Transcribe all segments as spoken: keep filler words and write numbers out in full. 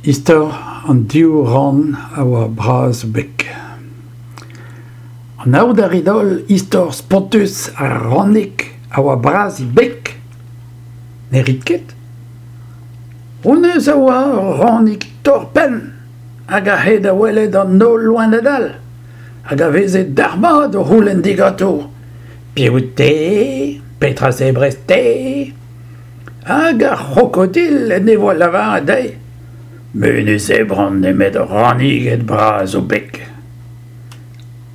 Istor an div ran a oa bras o beg. Anaout a rit holl istor spontus ar ranig a oa bras he beg ? Ne rit ket ? Honnezh a oa ur ranig torr-penn hag a ae da welet an holl loened all hag a veze dalc'hmat o c'houlenn diganto Piv out-te ? Petra 'zebrez-te ? Hag ar c'hrokodil en devoa lavaret dezhi Me ne zebran nemet raniged bras o beg.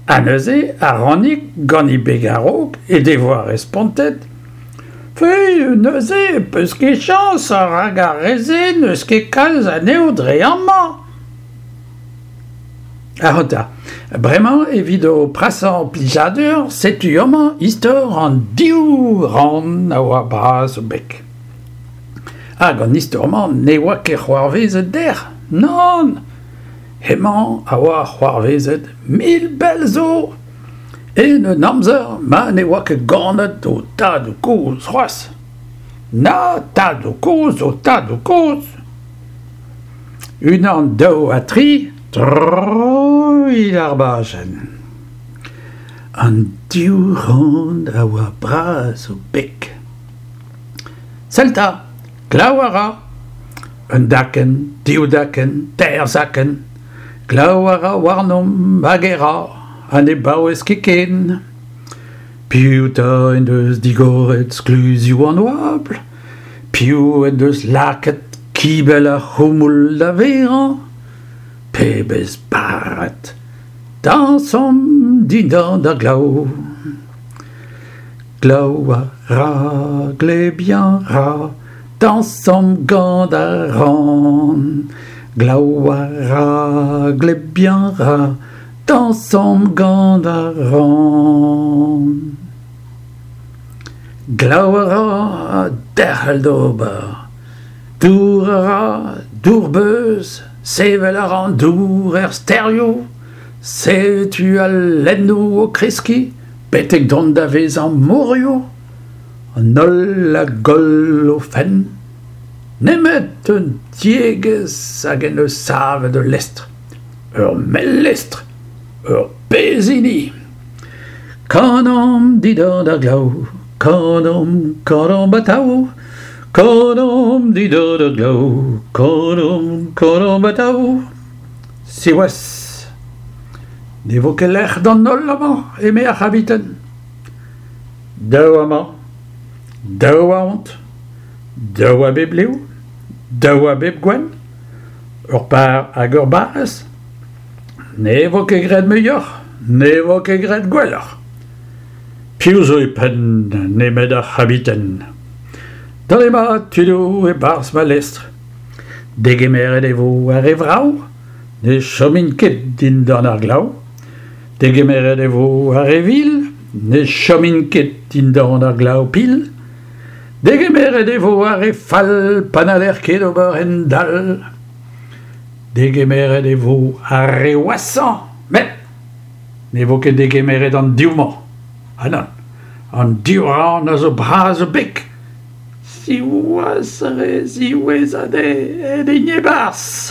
Ha neuze ar ranig gant he beg a-raok he devoa respontet Fe, neuze 'peus ket chañs rak ar re-se n'eus ket kalz anezho dre amañ. Ac'hanta, bremañ evit ho prasañ plijadur setu amañ istor an div ran a oa bras o beg. Hag an istor-mañ ne oa ket c'hoarvezet dec'h, nann ! Hemañ a oa c'hoarvezet mil bell zo, en un amzer ma ne oa ket ganet ho tadoù-kozh c'hoazh. Na tadoù-kozh ho tadoù-kozh ! Unan, daou ha tri, troit ar bajenn. An div ran a oa bras o beg. Sell 'ta, glav a ra. Un dakenn, div dakenn, teir zakenn. Glav a ra warnomp hag e ra, ha ne baouez ket ken. Piv 'ta en deus digoret skluzioù an oabl ? Piv en deus lakaet kibell ar c'houmoul da verañ ? Pebezh barrad ! Dañsomp dindan ar glav ! Glav a ra, glebiañ 'ra, dañsomp gant ar ran. Glav a ra, glebiañ 'ra, dañsomp gant ar ran. Glav a ra ha derc'hel d'ober. Dour a ra, dour-beuz, sevel a ra an dour er stêrioù. Setu al lennoù o kreskiñ betek dont da vezañ morioù. An holl a goll o fenn. Nemet un tiegezh hag en deus savet ul lestr. Ur mell lestr, ur pezh hini. Kanomp dindan ar glav, kanomp, kanomp atav, kanomp dindan ar glav, kanomp, kanomp atav. Siwazh, ne vo ket lec'h d'an holl amañ, eme ar c'habiten. Daou amañ, daou ahont, daou a bep liv, daou a bep gouenn, ur par hag ur barez. Ne vo ket graet muioc'h, ne vo ket graet gwelloc'h. Piv zo e penn nemet ar c'habiten ? Dale-mat tudoù e-barzh ma lestr. Degemeret e vo ar re vrav, ne chomint ket dindan ar glav. Degemeret e vo ar re vil, ne chomint ket dindan ar glav-pil. Degemeret e vo ar re fall pa n'haller ket ober hent-dall. Degemeret e vo ar re washañ, met ne vo ket degemeret an div-mañ. Ha nann, an div ran a zo bras o beg. Siwazh, re ziwezhat eo aet int e-barzh.